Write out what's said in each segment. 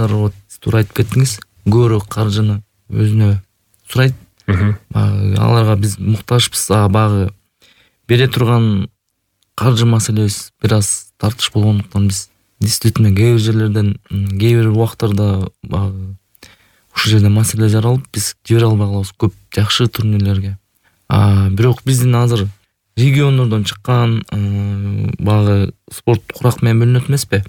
адамдар вот туура айтып кеттиңиз, көбүрөөк каржыны өзүнө сурайт. Аларга биз муктажбыз, баягы бере турган каржы маселебиз бир аз тартыш болгондуктан биз действительно кээ бир жерлерден, кээ бир убактарда баягы ушул жерде маселе жаралып, биз жибере албай калабыз көп жакшы турнирлерге. Бирок биздин азыр региондордон чыккан баягы спорт курак менен бөлүнөт эмеспи?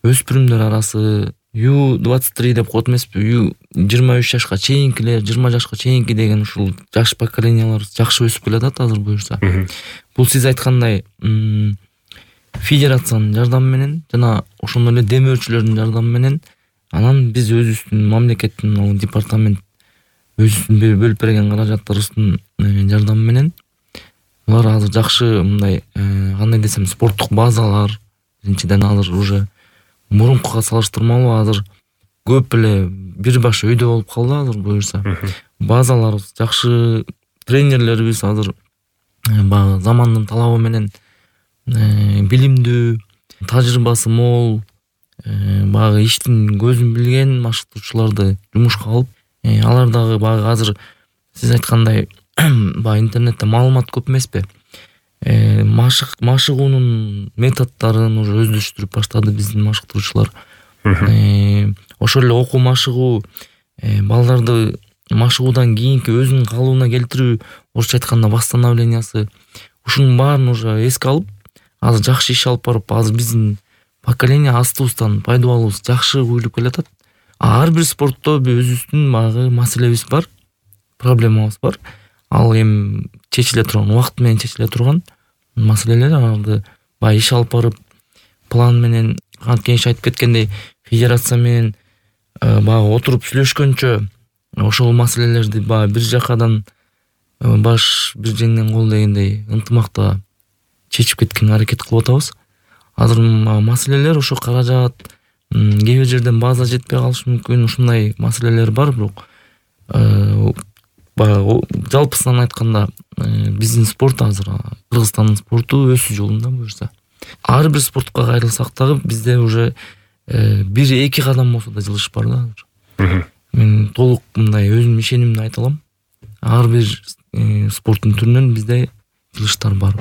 Өспүрүмдөр арасы U23 деп коет эмеспи? 23 жашка чейинкилер, 20 жашка чейинки деген ушул жаш поколениялар жакшы өсүп келатат азыр буюрса. Бул сиз айткандай федерациянын жардамы менен жана ошондой эле демөөрчүлөрдүн жардамы менен, анан биз өзүбүздүн мамлекеттин департамент өзүбүздүн бөлүп берген каражаттарыбыздын жардамы менен алар азыр жакшы мындай кандай десем спорттук базалар, биринчиден азыр уже мурункуга салыштырмалуу азыр көп эле бир баш өйдө болуп калды азыр буюрса. Базаларыбыз жакшы, тренерлерибиз азыр баягы замандын талабы менен билимдүү, тажрыйбасы мол, баягы иштин көзүн билген машыктоочуларды жумушка алып, алар дагы баягы азыр сиз айткандай баягы интернетте маалымат көп эмеспи? Машыгуунун методдорун уже өздөштүрүп баштады биздин машыктыруучулар. Ошол эле окуу машыгуу, балдарды машыгуудан кийинки өзүнүн калыбына келтирүү, орусча айтканда восстановлениясы, ушунун баарын уже эске алып, азыр жакшы иш алып барып, азыр биздин поколение астыбыздан пайдубалыбыз жакшы уюлуп келатат. Ар бир спортто өзүбүздүн баягы маселебиз бар, проблемабыз бар. Ал эми чечиле турган, убакыт менен чечиле турган маселелер. Аларды баягы иш алып барып, план менен, канткен айтып кеткендей, федерация менен баягы отуруп сүйлөшкөнчө ошол маселелерди баягы бир жакадан баш бир жеңнен кол дегендей ынтымакта чечип кеткенге аракет кылып атабыз. Азыр маселелер ошо каражат, кээ бир жерден база жетпей калышы мүмкүн, ушундай маселелер бар. Бирок баягы жалпысынан айтканда биздин спорт азыр Кыргызстандын спорту өсүү жолунда буюрса. Ар бир спортко кайрылсак дагы бизде уже 1-2 кадам болсо да жылыш бар да азыр. Мен толук мындай өзүмдүн ишенимди айта алам. Ар бир спорттун түрүнөн бизде жылыштар бар.